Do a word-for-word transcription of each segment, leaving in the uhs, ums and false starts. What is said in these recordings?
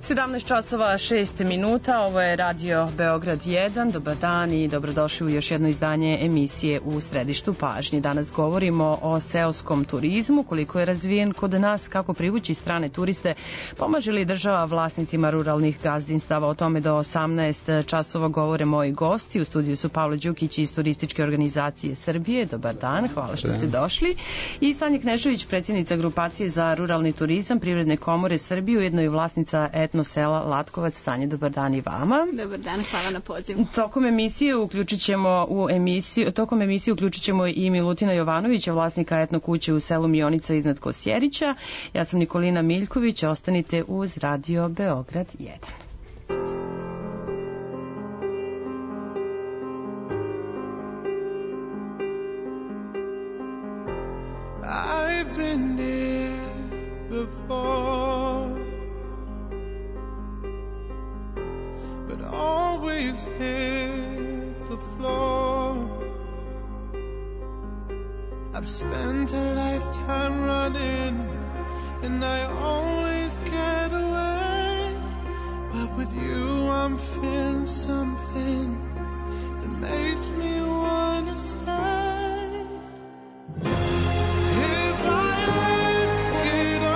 sedamnaest časova šest minuta, ovo je Radio Beograd jedan. Dobar dan i dobrodošli u još jedno izdanje emisije U središtu pažnje. Danas govorimo o seoskom turizmu, koliko je razvijen kod nas, kako privući strane turiste, pomaže li država vlasnicima ruralnih gazdinstava. O tome do osamnaest časova govore moji gosti. U studiju su Pavle Đukić iz Turističke organizacije Srbije. Dobar dan, hvala što ste došli. I Sanja Knežević, predsjednica grupacije za ruralni turizam Privredne komore Srbije, ujedno i vlasnica etno sela Latkovac. Sanja, dobar dan i vama. Dobar dan, hvala na pozivu. Tokom emisije uključit ćemo u emisiju, tokom emisije uključit ćemo i Milutina Jovanovića, vlasnika etno kuće u selu Mionica iznad Kosjerića. Ja sam Nikolina Miljković, ostanite uz Radio Beograd jedan. I've been here before, but always hit the floor. I've spent a lifetime running, and I always get away. But with you I'm feeling something that makes me wanna stay. If I risk it all,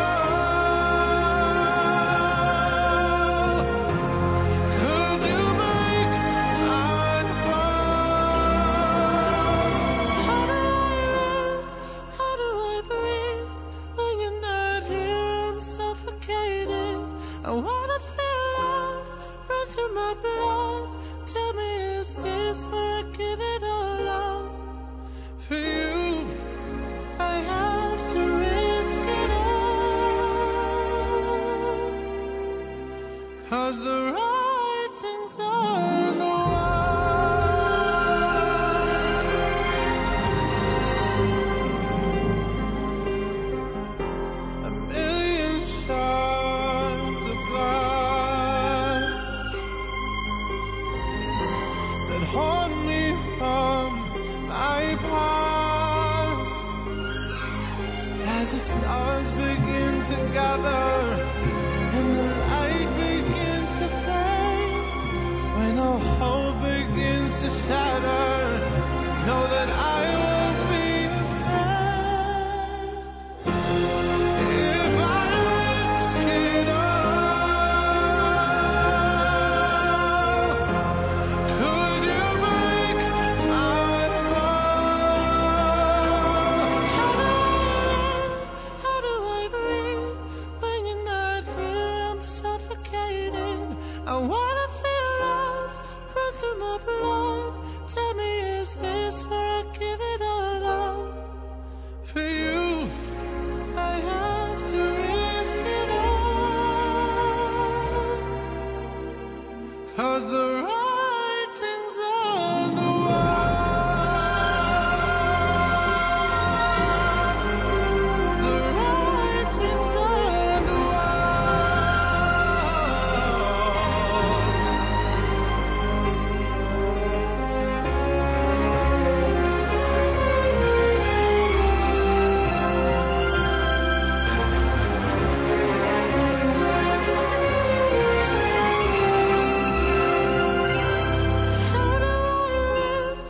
could you break my fall? How do I live? How do I breathe? When you're not here I'm suffocating. I wanna feel love run through my blood. Tell me, is this where I give it all up? For you I have to risk it all, 'cause the writing's on the wall. A million shards of glass that haunt me from my past. As the stars begin to gather and the light begins to fade, when all hope begins to shatter, know that I won't be afraid. If I risk it all, could you break my fall? How do I breathe when you're not here? I'm suffocating. I wanna feel love run through my blood. Tell me, is this where I give it all up? For you I have to risk it all, 'cause the writing's on the wall. The writing's on the How do I live?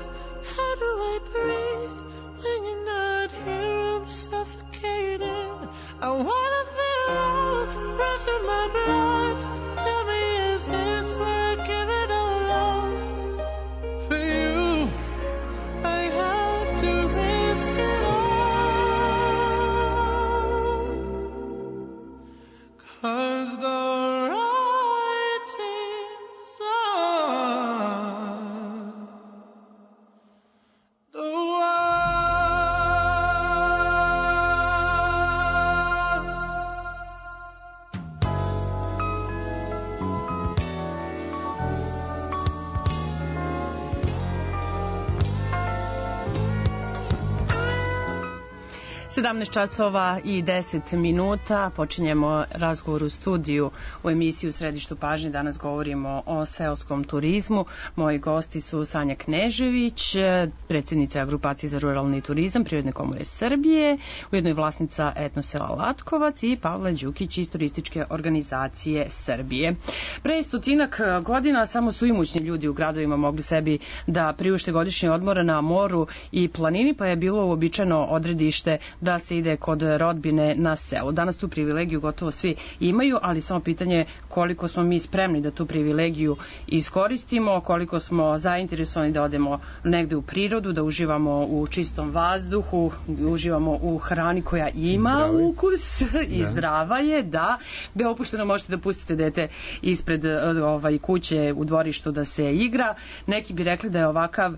How do I breathe? When you're not here I'm suffocating. I wanna feel love run through my blood. Tell me, is this where I give it all up? For you I have to risk it all, 'cause the writing's on the wall. sedamnaest časova i deset minuta. Počinjemo razgovor u studiju u emisiji U središtu pažnje. Danas govorimo o seoskom turizmu. Moji gosti su Sanja Knežević, predsjednica Grupacije za ruralni turizam Privredne komore Srbije, ujedno i vlasnica etnosela Latkovac, i Pavle Đukić iz Turističke organizacije Srbije. Pre stotinak godina samo su imućni ljudi u gradovima mogli sebi da priušte godišnji odmor na moru i planini, pa je bilo uobičajeno odredište da se ide kod rodbine na selo. Danas tu privilegiju gotovo svi imaju, ali samo pitanje koliko smo mi spremni da tu privilegiju iskoristimo, koliko smo zainteresovani da odemo negde u prirodu, da uživamo u čistom vazduhu, uživamo u hrani koja ima Zdravi. ukus i da. Zdrava je, da, gde opušteno možete da pustite dete ispred ovaj, kuće u dvorištu da se igra. Neki bi rekli da je ovakav uh,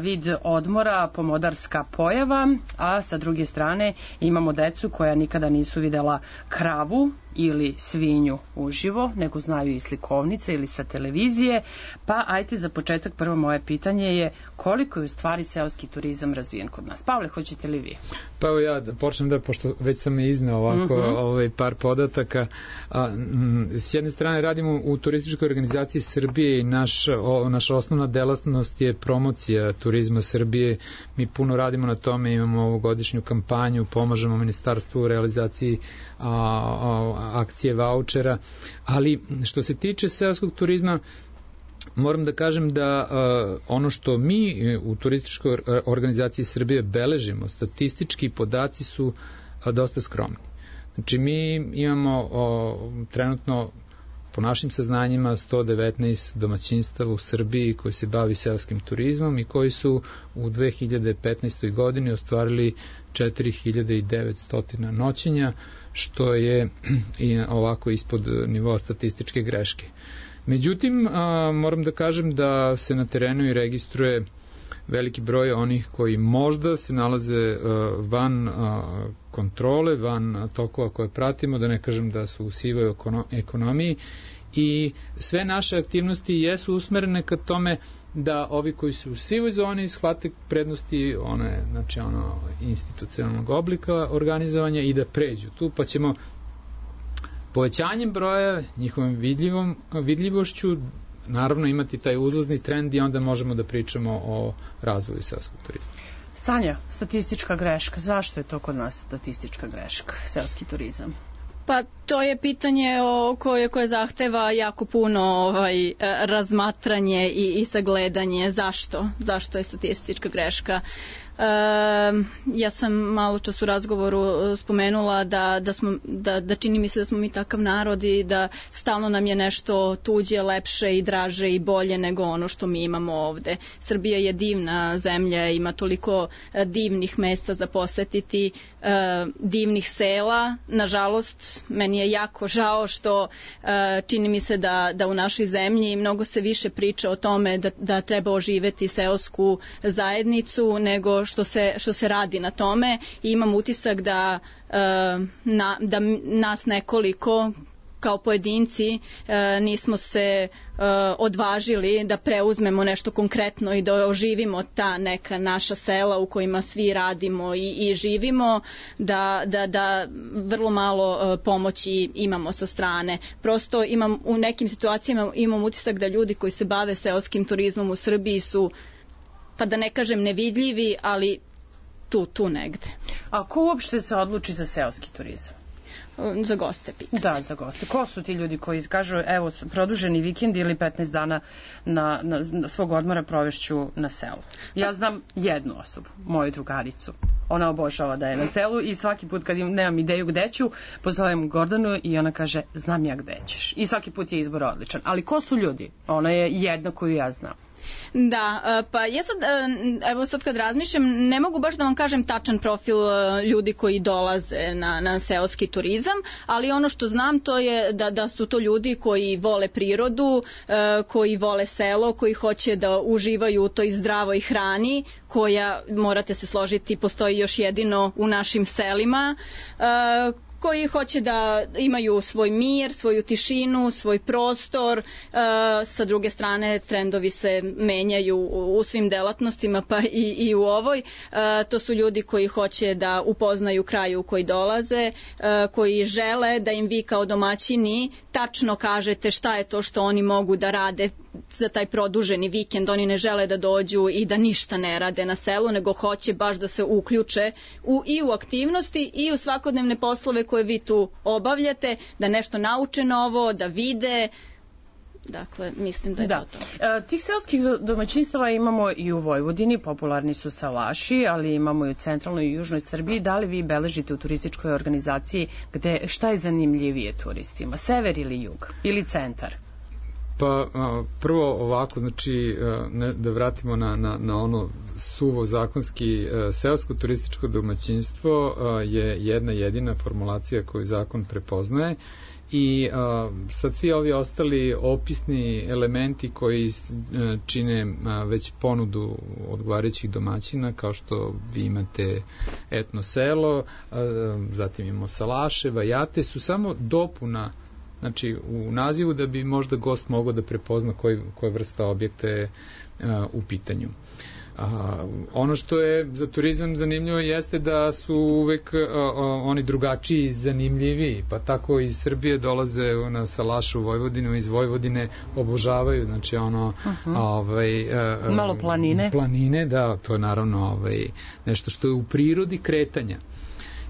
vid odmora pomodarska pojava, a sa druge strane imamo decu koja nikada nisu videla kravu ili svinju uživo, nego znaju i slikovnice ili sa televizije. Pa ajte za početak, prvo moje pitanje je koliko je u stvari seoski turizam razvijen kod nas? Pavle, hoćete li vi? Pa evo ja da počnem da, pošto već sam izneo ovako uh-huh. ovaj par podataka. A, m, s jedne strane radimo u Turističkoj organizaciji Srbije i naš, o, naša osnovna delatnost je promocija turizma Srbije. Mi puno radimo na tome, imamo ovogodišnju kampanju, pomažemo ministarstvu u realizaciji a, a, akcije vaučera, ali što se tiče seoskog turizma, moram da kažem da uh, ono što mi u Turističkoj organizaciji Srbije beležimo, statistički podaci su uh, dosta skromni. Znači mi imamo uh, trenutno po našim saznanjima sto devetnaest domaćinstava u Srbiji koji se bavi seoskim turizmom i koji su u dve hiljade petnaestoj godini ostvarili četiri hiljade devetsto noćenja, što je ovako ispod nivoa statističke greške. Međutim, a, moram da kažem da se na terenu i registruje veliki broj onih koji možda se nalaze a, van a, kontrole, van tokova koje pratimo, da ne kažem da su u sivoj ekonomiji, i sve naše aktivnosti jesu usmerene ka tome da ovi koji su u sivoj zoni shvate prednosti one, znači ono institucionalnog oblika organizovanja i da pređu tu, pa ćemo povećanjem broja, njihovom vidljivom, vidljivošću naravno imati taj uzlazni trend i onda možemo da pričamo o razvoju seoskog turizma. Sanja, statistička greška, zašto je to kod nas statistička greška, seoski turizam? Pa to je pitanje o koje, koje zahteva jako puno ovaj, razmatranje i, i sagledanje. Zašto? Zašto je statistička greška? E, ja sam malo čas u razgovoru spomenula da, da, smo, da, da čini mi se da smo mi takav narod i da stalno nam je nešto tuđe, lepše i draže i bolje nego ono što mi imamo ovde. Srbija je divna zemlja, ima toliko divnih mesta za posetiti, e, divnih sela. Nažalost, meni je jako žao što e, čini mi se da, da u našoj zemlji mnogo se više priča o tome da, da treba oživeti seosku zajednicu nego što se, što se radi na tome, i imam utisak da, na, da nas nekoliko kao pojedinci nismo se odvažili da preuzmemo nešto konkretno i da oživimo ta neka naša sela u kojima svi radimo i, i živimo, da, da, da vrlo malo pomoći imamo sa strane. Prosto imam, u nekim situacijama imam utisak da ljudi koji se bave seoskim turizmom u Srbiji su, pa da ne kažem nevidljivi, ali tu, tu negde. A ko uopšte se odluči za seoski turizam? Za goste pitanje. Da, za goste. Ko su ti ljudi koji kažu, evo, produženi vikend ili petnaest dana na, na, na svog odmora provešću na selu? Ja znam jednu osobu, moju drugaricu. Ona obožava da je na selu i svaki put kad im, nemam ideju gde ću, pozovem Gordanu i ona kaže, znam ja gde ćeš. I svaki put je izbor odličan. Ali ko su ljudi? Ona je jedna koju ja znam. Da, pa ja sad, evo sad kad razmišljam, ne mogu baš da vam kažem tačan profil ljudi koji dolaze na, na seoski turizam, ali ono što znam to je da, da su to ljudi koji vole prirodu, koji vole selo, koji hoće da uživaju u toj zdravoj hrani, koja, morate se složiti, postoji još jedino u našim selima, uh, koji hoće da imaju svoj mir, svoju tišinu, svoj prostor. E, sa druge strane, trendovi se menjaju u, u svim delatnostima, pa i, i u ovoj. E, to su ljudi koji hoće da upoznaju kraj u koji dolaze, e, koji žele da im vi kao domaćini tačno kažete šta je to što oni mogu da rade za taj produženi vikend. Oni ne žele da dođu i da ništa ne rade na selu, nego hoće baš da se uključe u, i u aktivnosti i u svakodnevne poslove koje vi tu obavljate, da nešto nauče novo, da vide. Dakle, mislim da je da. to to. E, tih seoskih domaćinstava imamo i u Vojvodini, popularni su salaši, ali imamo i u centralnoj i južnoj Srbiji. Da li vi beležite u turističkoj organizaciji gde, šta je zanimljivije turistima? Sever ili jug? Ili centar? Pa prvo ovako, znači ne, da vratimo na, na, na ono suvo zakonski, seosko turističko domaćinstvo je jedna jedina formulacija koju zakon prepoznaje i a, sad svi ovi ostali opisni elementi koji a, čine a, već ponudu odgovarajućih domaćina, kao što vi imate etno selo, a, zatim imamo salaše, vajate, su samo dopuna, znači u nazivu, da bi možda gost mogao da prepozna koji, koja vrsta objekta je a, u pitanju. A, ono što je za turizam zanimljivo jeste da su uvek a, a, oni drugačiji, zanimljiviji, pa tako iz Srbije dolaze na salašu u Vojvodinu, iz Vojvodine obožavaju, znači ono uh-huh. ovaj, a, a, malo planine. Planine, da, to je naravno ovaj, nešto što je u prirodi kretanja.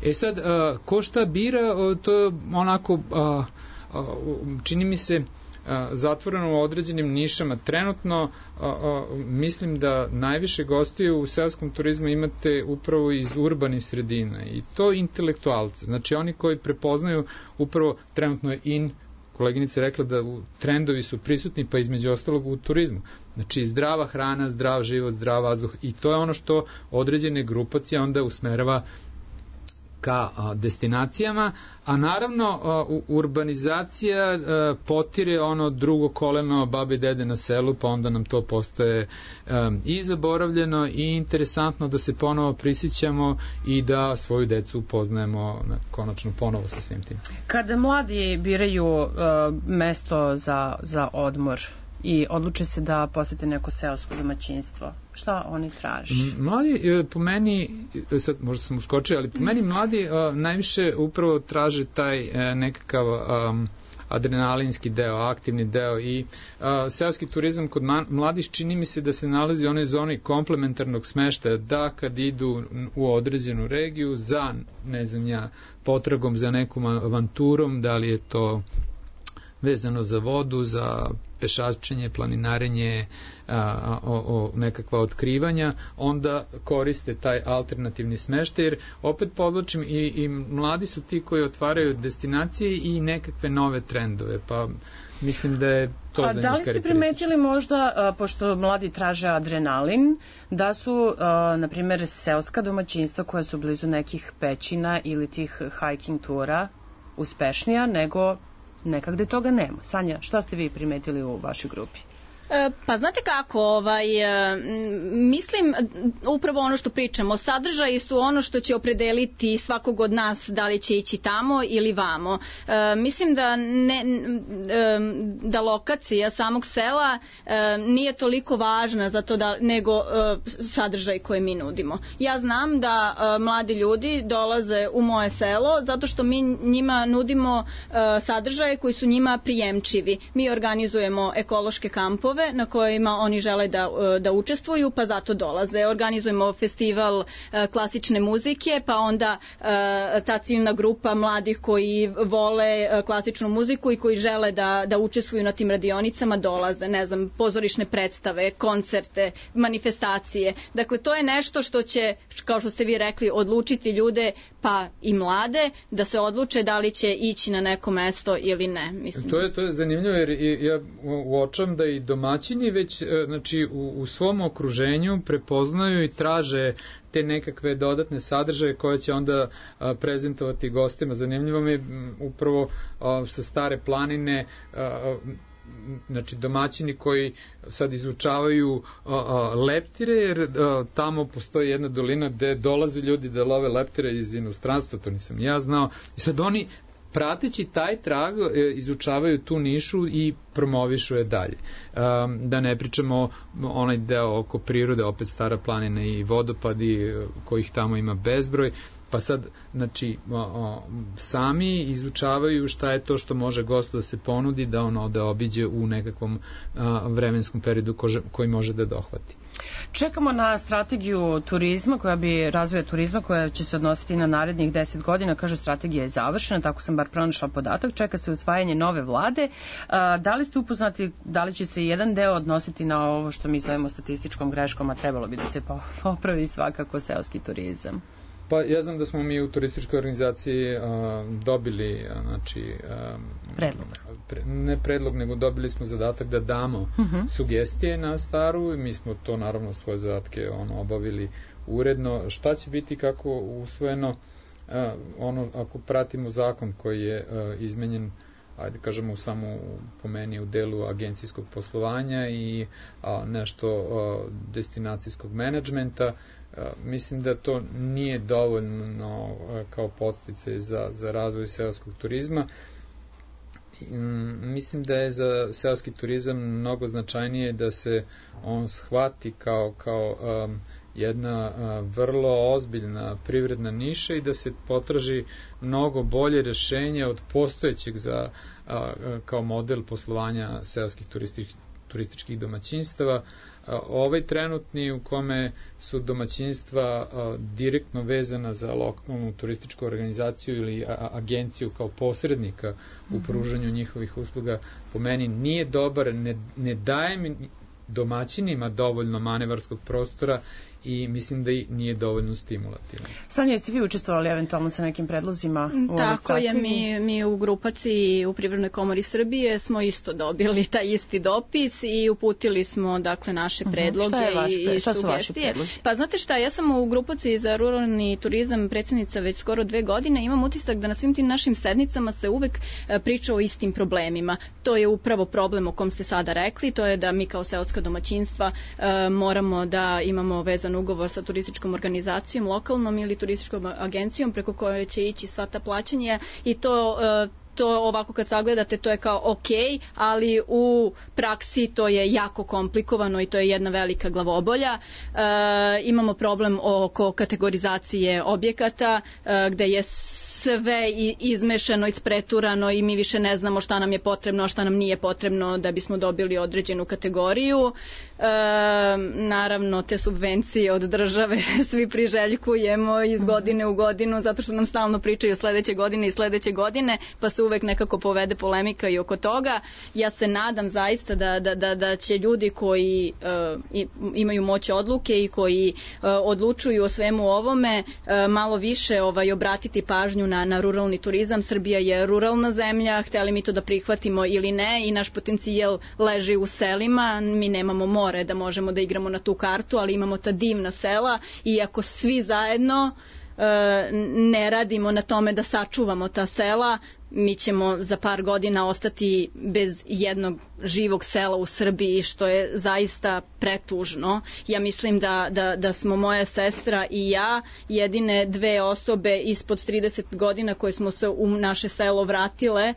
E sad, a, ko šta bira, to je onako, a, a, čini mi se, zatvoreno u određenim nišama. Trenutno a, a, mislim da najviše gostiju u seoskom turizmu imate upravo iz urbanih sredina i to intelektualce, znači oni koji prepoznaju upravo, trenutno je in, koleginica je rekla da u, trendovi su prisutni, pa između ostalog u turizmu, znači zdrava hrana, zdrav život, zdrav vazduh, i to je ono što određene grupacije onda usmerava ka a, destinacijama, a naravno a, u, urbanizacija a, potire ono drugo koleno babe i dede na selu, pa onda nam to postaje a, i zaboravljeno i interesantno da se ponovo prisjećamo i da svoju decu upoznajemo na, konačno ponovo sa svim tim. Kada mladi biraju a, mesto za, za odmor i odluče se da posete neko seosko domaćinstvo, šta oni traže? Mladi, po meni, sad možda sam uskočio, ali po meni mladi uh, najviše upravo traže taj uh, nekakav um, adrenalinski deo, aktivni deo, i uh, seoski turizam kod mladih čini mi se da se nalazi u onoj zoni komplementarnog smeštaja, da kad idu u određenu regiju za, ne znam ja, potragom za nekom avanturom, da li je to vezano za vodu, za pešačenje, planinarenje, a, o, o nekakva otkrivanja, onda koriste taj alternativni smeštaj, jer opet podločim, i, i mladi su ti koji otvaraju destinacije i nekakve nove trendove, pa mislim da je to a, za njih da li ste primetili možda, a, pošto mladi traže adrenalin, da su, a, na primjer, seoska domaćinstva koja su blizu nekih pećina ili tih hiking tura uspešnija nego nekak gde toga nema? Sanja, šta ste vi primetili u vašoj grupi? Pa znate kako, ovaj, mislim upravo ono što pričamo, sadržaji su ono što će opredeliti svakog od nas da li će ići tamo ili vamo. E, mislim da, ne, da lokacija samog sela e, nije toliko važna za to da, nego e, sadržaj koje mi nudimo. Ja znam da e, mladi ljudi dolaze u moje selo zato što mi njima nudimo e, sadržaje koji su njima prijemčivi. Mi organizujemo ekološke kampove na kojima oni žele da, da učestvuju, pa zato dolaze. Organizujemo festival klasične muzike, pa onda ta ciljna grupa mladih koji vole klasičnu muziku i koji žele da, da učestvuju na tim radionicama dolaze, ne znam, pozorišne predstave, koncerte, manifestacije. Dakle, to je nešto što će, kao što ste vi rekli, odlučiti ljude, pa i mlade, da se odluče da li će ići na neko mesto ili ne. Mislim. To je, to je zanimljivo, jer ja uočam da i domaćini već, znači, u, u svom okruženju prepoznaju i traže te nekakve dodatne sadržaje koje će onda a, prezentovati gostima. Zanimljivo mi je upravo a, sa Stare planine, a, znači domaćini koji sad izučavaju a, a, leptire, jer a, tamo postoji jedna dolina gde dolaze ljudi da love leptire iz inostranstva, to nisam ja znao, i sad oni prateći taj trag izučavaju tu nišu i promovišu je dalje. Da ne pričamo onaj deo oko prirode, opet Stara planina i vodopadi kojih tamo ima bezbroj, pa sad, znači, sami izučavaju šta je to što može gostu da se ponudi, da ono da obiđe u nekakvom vremenskom periodu koji može da dohvati. Čekamo na strategiju turizma, koja bi razvoja turizma, koja će se odnositi na narednih deset godina. Kaže, strategija je završena, tako sam bar pronašla podatak. Čeka se usvajanje nove vlade. Da li ste upoznati, da li će se jedan deo odnositi na ovo što mi zovemo statističkom greškom, a trebalo bi da se popravi svakako seoski turizam? Pa ja znam da smo mi u turističkoj organizaciji uh, dobili uh, znači, uh, predlog. Pre, ne predlog, nego dobili smo zadatak da damo uh-huh. sugestije na staru i mi smo to naravno svoje zadatke ono, obavili uredno. Šta će biti kako usvojeno, uh, ono ako pratimo zakon koji je uh, izmenjen, ajde kažemo samo po meni u delu agencijskog poslovanja i a, nešto a, destinacijskog menadžmenta, a, mislim da to nije dovoljno a, kao podsticaj za, za razvoj seoskog turizma. I, m, mislim da je za seoski turizam mnogo značajnije da se on shvati kao, kao a, jedna a, vrlo ozbiljna privredna niša i da se potraži mnogo bolje rešenje od postojećeg za, a, kao model poslovanja seoskih turističkih, turističkih domaćinstava. A, ovaj trenutni u kome su domaćinstva a, direktno vezana za lokalnu turističku organizaciju ili a, agenciju kao posrednika u pružanju njihovih usluga, po meni nije dobar, ne, ne daje mi domaćinima dovoljno manevarskog prostora i mislim da i nije dovoljno stimulativno. Sanja, jeste vi učestvovali eventualno sa nekim predlozima u ovoj Tako strategiji? je, mi, mi u grupaciji u Privrednoj komori Srbije smo isto dobili taj isti dopis i uputili smo dakle naše predloge uh-huh. šta je vaš, šta i sugestije. Pa znate šta, ja sam u grupaciji za ruralni turizam predsjednica već skoro dve godine, imam utisak da na svim tim našim sednicama se uvek priča o istim problemima. To je upravo problem o kom ste sada rekli, to je da mi kao seoska domaćinstva moramo da imamo vezan ugovor sa turističkom organizacijom lokalnom ili turističkom agencijom preko koje će ići sva ta plaćanja i to to ovako kad sagledate to je kao ok, ali u praksi to je jako komplikovano i to je jedna velika glavobolja. E, imamo problem oko kategorizacije objekata e, gde je sve izmešano, ispreturano i mi više ne znamo šta nam je potrebno, a šta nam nije potrebno da bismo dobili određenu kategoriju. E, naravno, te subvencije od države svi priželjkujemo iz godine u godinu, zato što nam stalno pričaju sledeće godine i sledeće godine, pa se uvek nekako povede polemika i oko toga. Ja se nadam zaista da, da, da, da će ljudi koji uh, imaju moć odluke i koji uh, odlučuju o svemu ovome uh, malo više ovaj, obratiti pažnju na, na ruralni turizam. Srbija je ruralna zemlja, hteli mi to da prihvatimo ili ne i naš potencijal leži u selima. Mi nemamo more da možemo da igramo na tu kartu, ali imamo ta divna sela i ako svi zajedno uh, ne radimo na tome da sačuvamo ta sela, mi ćemo za par godina ostati bez jednog živog sela u Srbiji, što je zaista pretužno. Ja mislim da, da, da smo moja sestra i ja jedine dve osobe ispod trideset godina koje smo se u naše selo vratile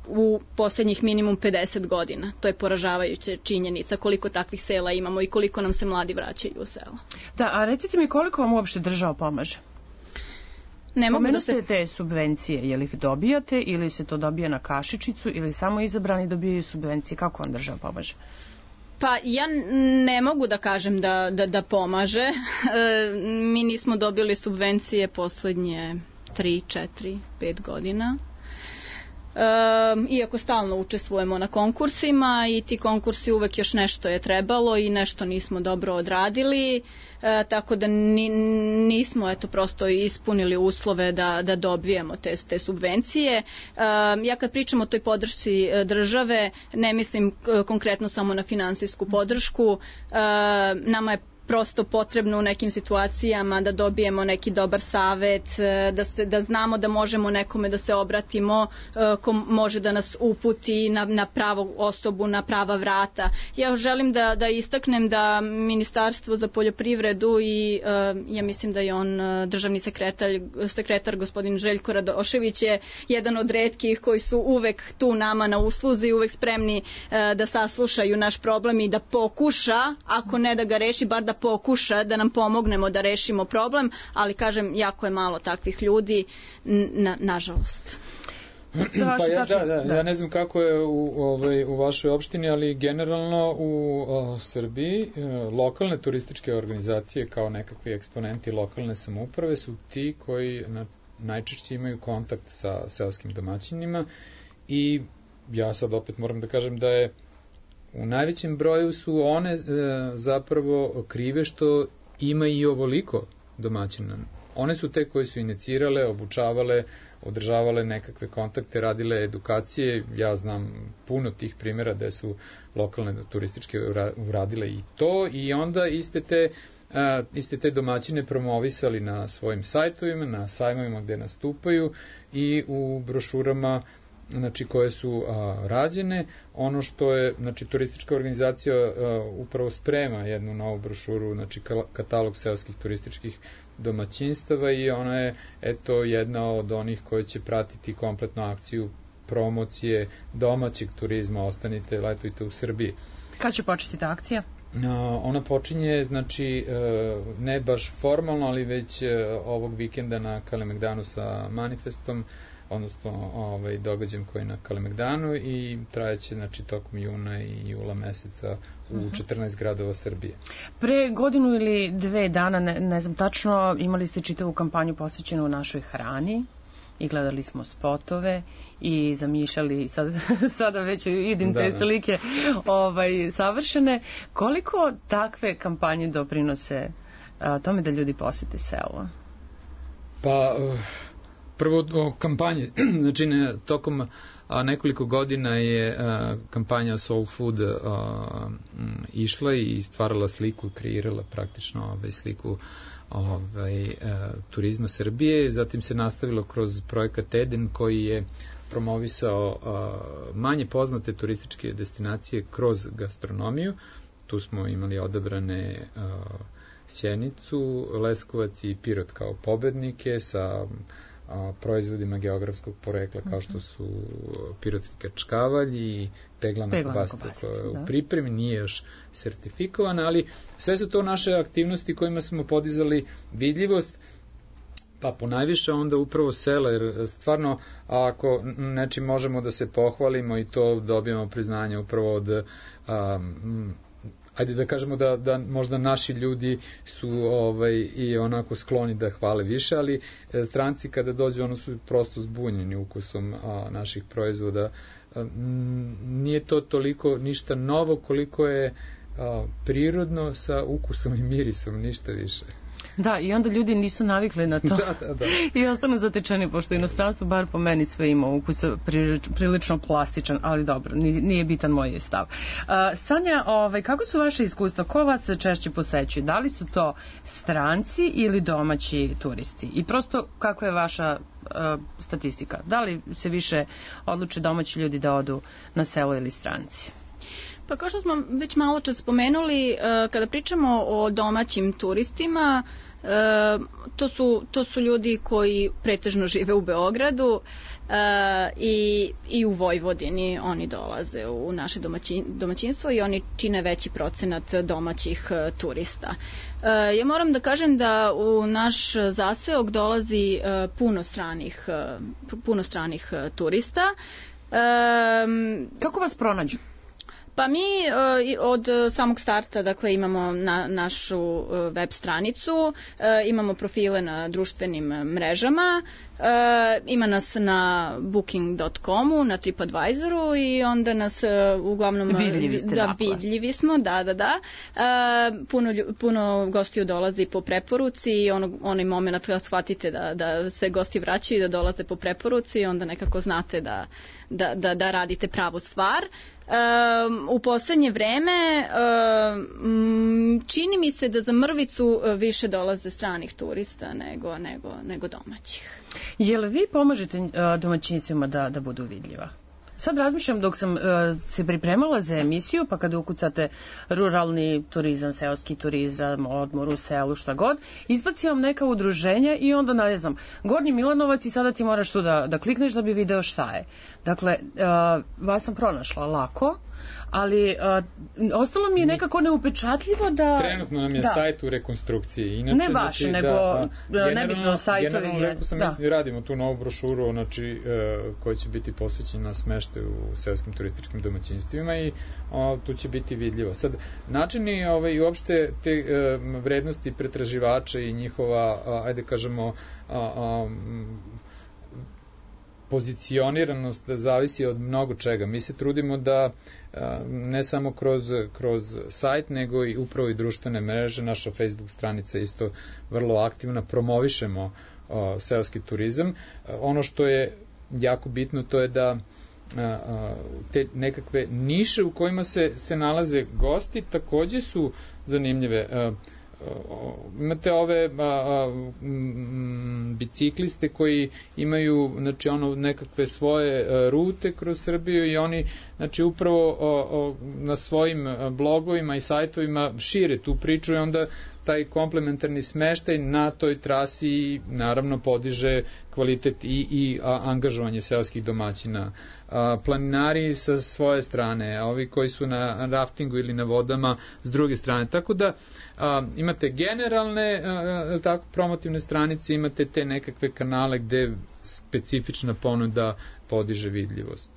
u poslednjih minimum pedeset godina. To je poražavajuća činjenica koliko takvih sela imamo i koliko nam se mladi vraćaju u selo. Da, a recite mi koliko vam uopšte država pomaže? Ne mogu da se... te subvencije, je li ih dobijate ili se to dobija na kašičicu ili samo izabrani dobijaju subvencije? Kako vam država pomaže? Pa ja ne mogu da kažem da, da, da pomaže. E, mi nismo dobili subvencije poslednje tri, četiri, pet godina. E, iako stalno učestvujemo na konkursima i ti konkursi uvek još nešto je trebalo i nešto nismo dobro odradili. E, tako da ni, nismo eto prosto ispunili uslove da, da dobijemo te, te subvencije. E, ja kad pričam o toj podršci države, ne mislim konkretno samo na finansijsku podršku. E, nama je prosto potrebno u nekim situacijama da dobijemo neki dobar savet, da, se, da znamo da možemo nekome da se obratimo ko može da nas uputi na, na pravu osobu, na prava vrata. Ja želim da, da istaknem da Ministarstvo za poljoprivredu i ja mislim da je on državni sekretar, sekretar gospodin Željko Radošević je jedan od retkih koji su uvek tu nama na usluzi, uvek spremni da saslušaju naš problem i da pokuša, ako ne da ga reši, bar da pokuša da nam pomognemo da rešimo problem, ali kažem, jako je malo takvih ljudi, na, nažalost. Pa ja, da, da, ja ne znam kako je u, ovaj, u vašoj opštini, ali generalno u o, Srbiji lokalne turističke organizacije kao nekakvi eksponenti lokalne samouprave su ti koji na, najčešće imaju kontakt sa seoskim domaćinima i ja sad opet moram da kažem da je u najvećem broju su one e, zapravo krive što ima i ovoliko domaćina. One su te koje su inicirale, obučavale, održavale nekakve kontakte, radile edukacije. Ja znam puno tih primjera gde su lokalne turističke uradile i to i onda iste te, a, iste te domaćine promovisali na svojim sajtovima, na sajmovima gde nastupaju i u brošurama znači koje su a, rađene. Ono što je, znači turistička organizacija a, upravo sprema jednu novu brošuru, znači katalog seoskih turističkih domaćinstava i ona je eto jedna od onih koje će pratiti kompletnu akciju promocije domaćeg turizma, ostanite, letujte u Srbiji. Kad će početi ta akcija? Ona počinje, znači, ne baš formalno, ali već ovog vikenda na Kalemegdanu sa manifestom, odnosno ovaj, događajem koji je na Kalemegdanu i trajeće znači, tokom juna i jula meseca u četrnaest gradova Srbije. Pre godinu ili dve dana, ne, ne znam tačno, imali ste čitavu kampanju posvećenu našoj hrani i gledali smo spotove i zamišljali, sad, sada već vidim te da, slike ovaj, savršene. Koliko takve kampanje doprinose a, tome da ljudi posete selo? Pa... Uh... Prvo o kampanje, znači ne, tokom a, nekoliko godina je a, kampanja Soul Food a, m, išla i stvarala sliku, kreirala praktično ovaj, sliku ovaj, a, turizma Srbije. Zatim se nastavilo kroz projekat Eden koji je promovisao a, manje poznate turističke destinacije kroz gastronomiju. Tu smo imali odabrane a, Sjenicu, Leskovac i Pirot kao pobednike sa a, proizvodima geografskog porekla kao što su pirotski kačkavalj i peglana kobasica koja je u pripremi, nije još sertifikovana, ali sve su to naše aktivnosti kojima smo podizali vidljivost, pa ponajviše onda upravo sela, jer stvarno ako nečim možemo da se pohvalimo i to dobijemo priznanje upravo od a, ajde da kažemo da, da možda naši ljudi su ovaj, i onako skloni da hvale više, ali stranci kada dođu ono su prosto zbunjeni ukusom a, naših proizvoda. A, m, nije to toliko ništa novo koliko je a, prirodno sa ukusom i mirisom, ništa više. Da, i onda ljudi nisu navikli na to da, da, da. i ostanu zatečeni, pošto inostranstvo, bar po meni, sve ima ukus prilično plastičan, ali dobro, nije bitan moj stav. Uh, Sanja, ovaj, kako su vaše iskustva? Ko vas češće posećuje? Da li su to stranci ili domaći turisti? I prosto, kako je vaša uh, statistika? Da li se više odluče domaći ljudi da odu na selo ili stranci? Pa kao što smo već malo čas spomenuli, kada pričamo o domaćim turistima, to su, to su ljudi koji pretežno žive u Beogradu i, i u Vojvodini. Oni dolaze u naše domaćin, domaćinstvo i oni čine veći procenat domaćih turista. Ja moram da kažem da u naš zaseok dolazi puno stranih, puno stranih turista. Kako vas pronađu? Pa mi od samog starta, dakle, imamo na, našu web stranicu, imamo profile na društvenim mrežama E, ima nas na booking dot comu, na TripAdvisoru i onda nas e, uglavnom... Vidljivi ste, da, dakle. Vidljivi smo, da, da, da. E, puno, puno gostiju dolazi po preporuci i ono, onaj moment kada shvatite da, da se gosti vraćaju i da dolaze po preporuci, onda nekako znate da, da, da, da radite pravu stvar. Um, u poslednje vreme um, čini mi se da za Mrvicu više dolaze stranih turista nego, nego, nego domaćih. Je li vi pomažete uh, domaćinstvima da, da budu vidljiva? Sad razmišljam dok sam uh, se pripremala za emisiju, pa kada ukucate ruralni turizam, seoski turizam, odmor u selu, šta god, izbaci vam neka udruženja i onda, ne znam, Gornji Milanovac i sada ti moraš tu da, da klikneš da bi video šta je. Dakle, uh, vas sam pronašla lako, ali uh, ostalo mi je nekako neupečatljivo da... Trenutno nam je da. sajt u rekonstrukciji. Inače, ne baš, znači, nego da, nebitno sajtovi. Generalno, rekao sam, da. mi radimo tu novu brošuru, znači, uh, koja će biti posvećena smeštaju u seoskim turističkim domaćinstvima i uh, tu će biti vidljivo. Sad, načini ovaj, i uopšte te uh, vrednosti pretraživača i njihova, uh, ajde kažemo, uh, um, pozicioniranost zavisi od mnogo čega. Mi se trudimo da ne samo kroz, kroz sajt, nego i upravo i društvene mreže, naša Facebook stranica isto vrlo aktivna, promovišemo o, seoski turizam. Ono što je jako bitno, to je da a, te nekakve niše u kojima se, se nalaze gosti takođe su zanimljive. A, imate ove a, a, m, bicikliste koji imaju, znači, ono, nekakve svoje a, rute kroz Srbiju i oni, znači, upravo o, o, na svojim blogovima i sajtovima šire tu priču i onda taj komplementarni smeštaj na toj trasi naravno podiže kvalitet i, i a, angažovanje seoskih domaćina. A, planinari sa svoje strane, a ovi koji su na raftingu ili na vodama s druge strane. Tako da a, imate generalne a, tako, promotivne stranice, imate te nekakve kanale gde specifična ponuda podiže vidljivost.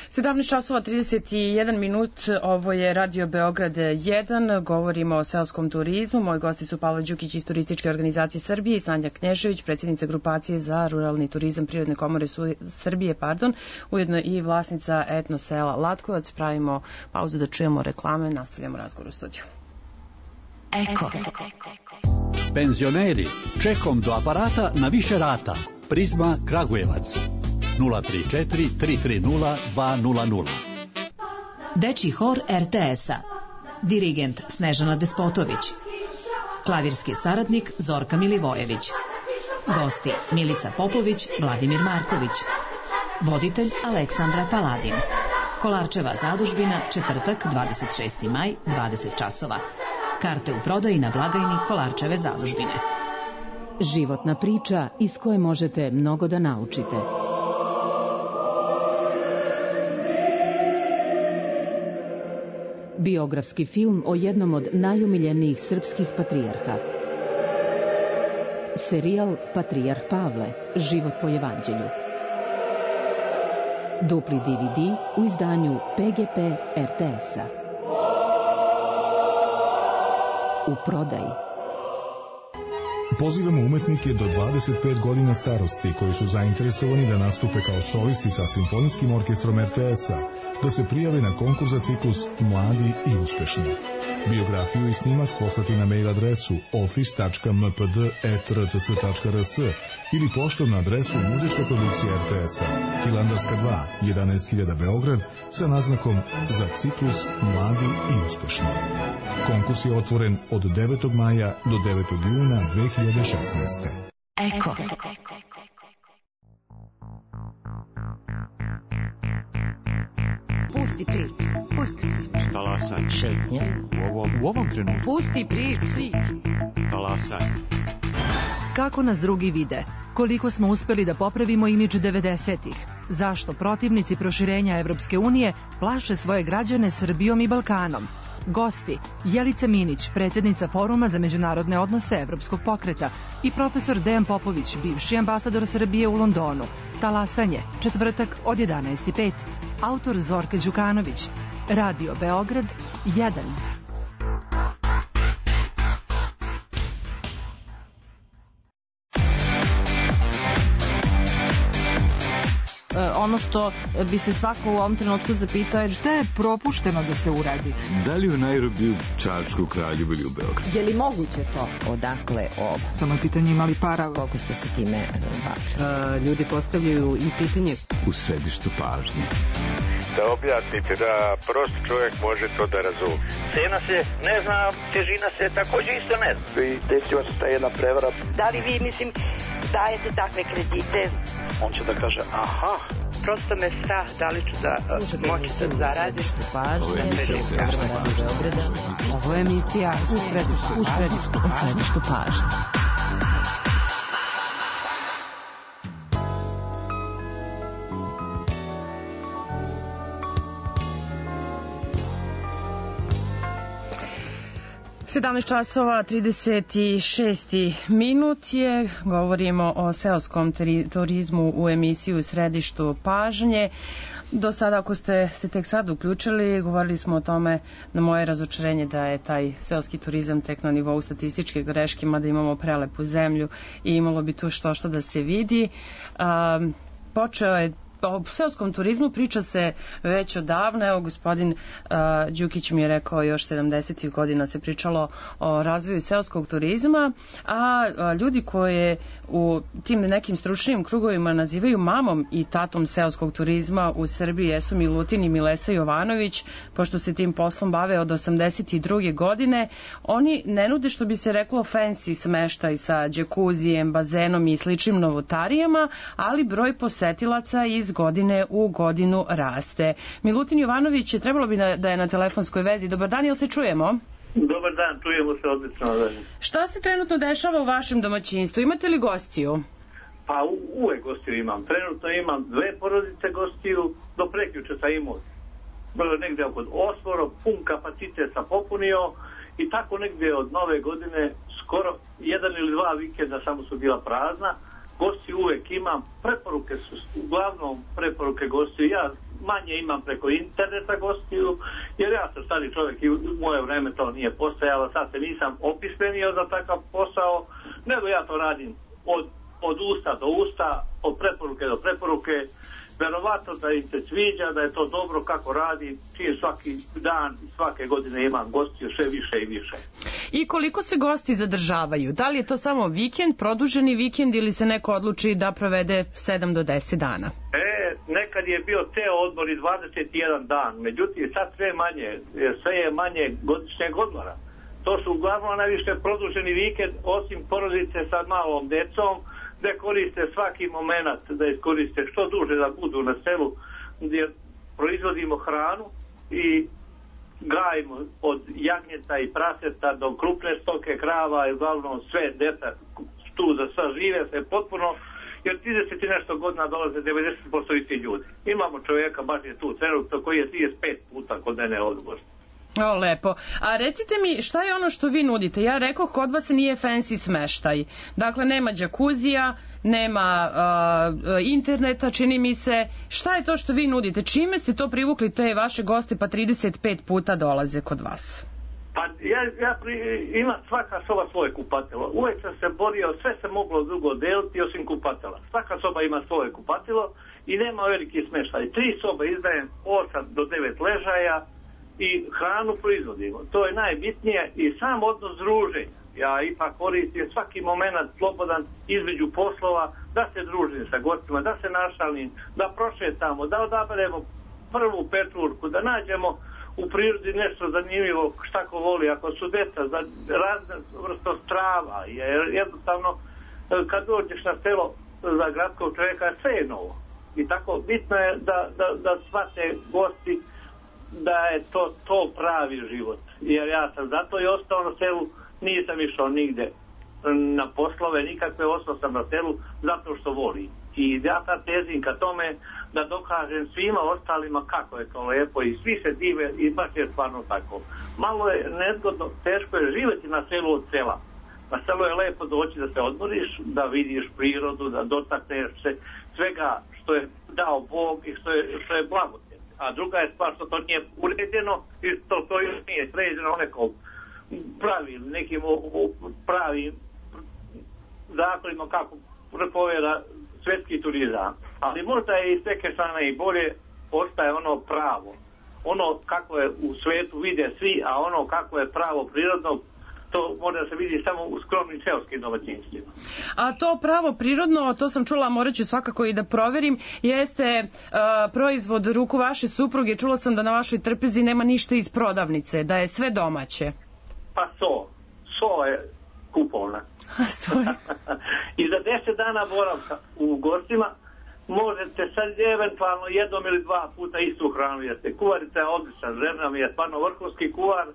sedamnaest časova trideset jedan minut, ovo je Radio Beograd jedan, govorimo o seoskom turizmu. Moji gosti su Pavle Đukić iz Turističke organizacije Srbije i Sanja Knježević, predsjednica grupacije za ruralni turizam Prirodne komore Srbije, pardon, ujedno i vlasnica etno sela Latkovac. Pravimo pauzu da čujemo reklame, nastavljamo razgovor u studiju. Eko. Penzioneri, čekom do aparata na više rata. Prizma Kragujevac. nula tri četiri tri tri nula dva nula nula. Dečji hor er te es-a. Dirigent Snežana Despotović. Klavirski saradnik Zorka Milivojević. Gosti Milica Popović, Vladimir Marković. Voditelj Aleksandra Paladin. Kolarčeva zadužbina, četvrtak, dvadeset šesti maj, dvadeset časova. Karte u prodaji na blagajni Kolarčeve zadužbine. Životna priča iz koje možete mnogo da naučite. Biografski film o jednom od najomiljenijih srpskih patrijarha. Serijal Patrijarh Pavle, život po evanđelju. Dupli de ve de u izdanju pe ge pe er te es-a. U prodaji. Pozivamo umetnike do dvadeset pet godina starosti koji su zainteresovani da nastupe kao solisti sa Simfonijskim orkestrom er te es-a, da se prijave na konkurs za ciklus Mladi i uspešni. Biografiju i snimak poslati na mail adresu office tačka m p d at r t s tačka r s ili poštom na adresu Muzička produkcija er te es-a, Hilandarska dva, jedanaest hiljada Beograd, sa naznakom za ciklus Mladi i uspešni. Konkurs je otvoren od devetog maja do devetog juna dve hiljade šesnaeste. Eko. Pusti priču, pusti priču. Talasanje. Šetnje. U ovom, u ovom trenutku. Pusti priču. Talasanje. Kako nas drugi vide? Koliko smo uspeli da popravimo imidž devedesetih? Zašto protivnici proširenja Evropske unije plaše svoje građane Srbijom i Balkanom? Gosti Jelica Minić, predsjednica Foruma za međunarodne odnose Evropskog pokreta, i profesor Dejan Popović, bivši ambasador Srbije u Londonu. Talasanje, četvrtak od jedanaest i pet. Autor Zorka Đukanović. Radio Beograd jedan. ono što bi se svako u ovom trenutku zapitao je šta je propušteno da se uradi. Da li u Nairobiju, Čačku, Kraljevu ili u Beogradu? Je li moguće to? Odakle ovo? Samo je pitanje imali para. Koliko ste se time bavili? Ljudi postavljaju i pitanje U središtu pažnje. Da objasnite, da prost čovjek može to da razumije. Cena se ne zna, težina se također isto ne zna. I desila se ta jedna prevara. Da li vi, mislim, dajete takve kredite? On će da kaže, aha. Prosto me strah, da li ću da moći da zaradim. Ovo je emisija u središtu pažnje. Ovo je emisija u središtu, u središtu, u središtu pažnje. sedamnaest časova trideset šest minut je, govorimo o seoskom turizmu u emisiju u središtu pažnje. Do sada, ako ste se tek sad uključili, govorili smo o tome na moje razočarenje da je taj seoski turizam tek na nivou statističke greške, mada imamo prelepu zemlju i imalo bi tu što što da se vidi. Um, počeo je o seoskom turizmu priča se već odavno. Evo, gospodin uh, Đukić mi je rekao još sedamdesetih godina se pričalo o razvoju seoskog turizma, a, a ljudi koje u tim nekim stručnim krugovima nazivaju mamom i tatom seoskog turizma u Srbiji jesu Milutin i Milesa Jovanović, pošto se tim poslom bave od osamdeset druge godine. Oni ne nude, što bi se reklo, fancy smeštaj sa džekuzijem, bazenom i sličnim novotarijama, ali broj posetilaca iz godine u godinu raste. Milutin Jovanović, je trebalo bi da je na telefonskoj vezi. Dobar dan, jel se čujemo? Dobar dan, čujemo se odlično. Šta se trenutno dešava u vašem domaćinstvu? Imate li gostiju? Pa u, uvek gostiju imam. Trenutno imam dve porodice gostiju, do prekjuče sam imao negde oko osmoro, pun kapacitet sam popunio i tako negde od nove godine skoro jedan ili dva vikenda samo su bila prazna. Gosti uvek imam, preporuke su uglavnom preporuke gostiju, ja manje imam preko interneta gostiju, jer ja sam stari čovjek i u moje vreme to nije postojalo, sad se nisam opismenio za takav posao, nego ja to radim od, od usta do usta, od preporuke do preporuke, verovatno da im se sviđa, da je to dobro kako radi, čim svaki dan, svake godine imam gostiju sve više i više. I koliko se gosti zadržavaju? Da li je to samo vikend, produženi vikend ili se neko odluči da provede sedam do deset dana? E, nekad je bio te odmor i dvadeset jedan dan, međutim sad sve manje, sve je manje godišnjeg odmora. To su uglavnom najviše produženi vikend, osim porodice sa malom decom, gde koriste svaki moment da iskoriste što duže da budu na selu, gdje proizvodimo hranu i gajimo od jagnjeta i praseta do krupne stoke, krava i uglavnom sve deca tu za sva žive se potpuno, jer trideset i nešto godina dolaze devedeset posto isti ljudi. Imamo čovjeka, baš je tu trenutno, koji je trideset pet puta kod mene odgost. O, lepo. A recite mi, šta je ono što vi nudite? Ja rekao, kod vas nije fancy smeštaj. Dakle, nema džakuzija, nema uh, interneta, čini mi se. Šta je to što vi nudite? Čime ste to privukli te vaše goste pa trideset pet puta dolaze kod vas? Pa ja, ja pri, imam svaka soba svoje kupatilo. Uvijek sam se borio, sve se moglo drugo deliti osim kupatila. Svaka soba ima svoje kupatilo i nema veliki smeštaj. Tri sobe izdajem osam do devet ležaja i hranu proizvodimo. To je najbitnije i sam odnos druženja. Ja ipak koristim svaki moment slobodan između poslova da se družim sa gostima, da se našalim, da prošetamo, da odaberemo prvu pečurku, da nađemo u prirodi nešto zanimljivo šta ko voli. Ako su deca za razne vrsto strava, jer jednostavno kad dođeš na selo za gradskog čovjeka sve je novo. I tako bitno je da, da, da shvate gosti da je to, to pravi život. Jer ja sam zato i ostao na selu, nisam išao nigde na poslove, nikakve, ostao sam na selu zato što volim. I ja sad tezim ka tome da dokažem svima ostalima kako je to lepo i svi se dive i baš je stvarno tako. Malo je nezgodno, teško je živjeti na selu od sela. Na selu je lepo doći da se odmoriš, da vidiš prirodu, da dotakneš se svega što je dao Bog i što je, što je blago. A druga je stvar što to nije uređeno i to, to još nije sređeno nekom pravim, nekim pravim zakonima kako prepoveda svetski turizam. Ali možda je iz neke strane i bolje, ostaje ono pravo. Ono kako je u svetu vide svi, a ono kako je pravo prirodno, to može da se vidi samo u skromnim seoskim domaćinstvima. A to pravo prirodno, to sam čula, morat ću svakako i da proverim, jeste uh, proizvod ruku vaše supruge. Čula sam da na vašoj trpezi nema ništa iz prodavnice, da je sve domaće. Pa so. So je kupovna. So je. I za deset dana boravka u gostima možete sad eventualno jednom ili dva puta istu hranu jeste. Kuvarica je odlična, žena mi je stvarno vrhunski kuvar.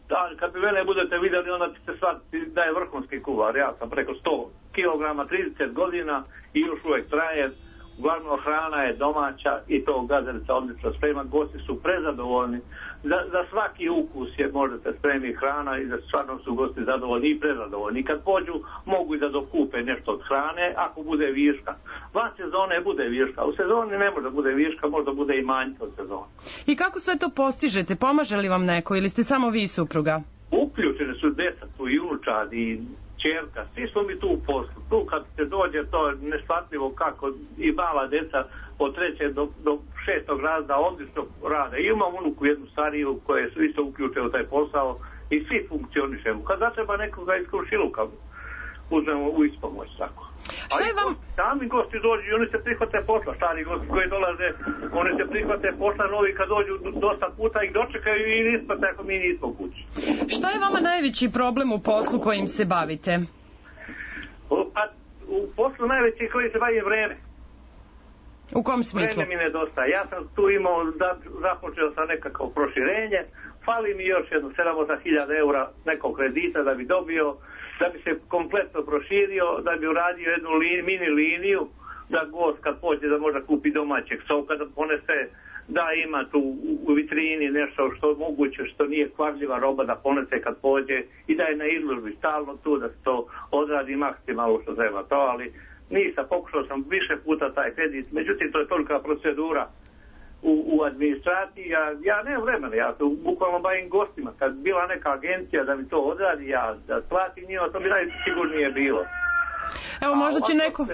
Da, kad bi mene budete vidjeli, onda ćete shvatiti da je vrhunski kuvar. Ja sam preko sto kilograma, trideset godina i još uvijek traje. Uglavnom hrana je domaća i to gazelica odlično sprema. Gosti su prezadovoljni. Za, za svaki ukus je možete spremiti hrana i za stvarno su gosti zadovoljni i prezadovoljni. Kad pođu, mogu i da dokupe nešto od hrane ako bude viška. Van sezone bude viška. U sezoni ne može da bude viška, možda bude i manjka od sezone. I kako sve to postižete? Pomaže li vam neko ili ste samo vi i supruga? Uključene su deca, tu i unučad i čerka, svi smo mi tu u poslu. Tu kad se dođe, to je neshvatljivo kako i mala deca od trećeg do, do šestog razda odlično rade. I imam unuku jednu stariju koje su isto uključene u taj posao i svi funkcionišemo. Kad zatreba nekoga iz komšiluka, uzmemo u ispomoć tako. Šta je vam... Sami gosti dođu i oni se prihvate posla, stari gosti koji dolaze, oni se prihvate posla, novi kad dođu dosta puta ih dočekaju i ispate ako mi nismo kući. Šta je vama najveći problem u poslu kojim se bavite? Pa, u poslu najveći kojim se bavim vreme. U kom smislu? Vreme mi nedostaje. Ja sam tu imao, da, započeo sam nekako proširenje, fali mi još jedno sedam do osam hiljada eura nekog kredita da bi dobio, da bi se kompletno proširio, da bi uradio jednu lin, mini liniju, da gost kad pođe da može kupi domaćeg soka, da ponese, da ima tu u vitrini nešto što je moguće, što nije kvarljiva roba, da ponese kad pođe i da je na izložbi stalno tu, da se to odradi maksimalno što treba to, ali nisam, pokušao sam više puta taj kredit, međutim to je tolika procedura u, u administraciji, ja, ja nemam vremena, ja se bukvalno bavim gostima, kad bila neka agencija da mi to odradi, ja da platim njima, to bi najsigurnije bilo. Evo, možda će neko,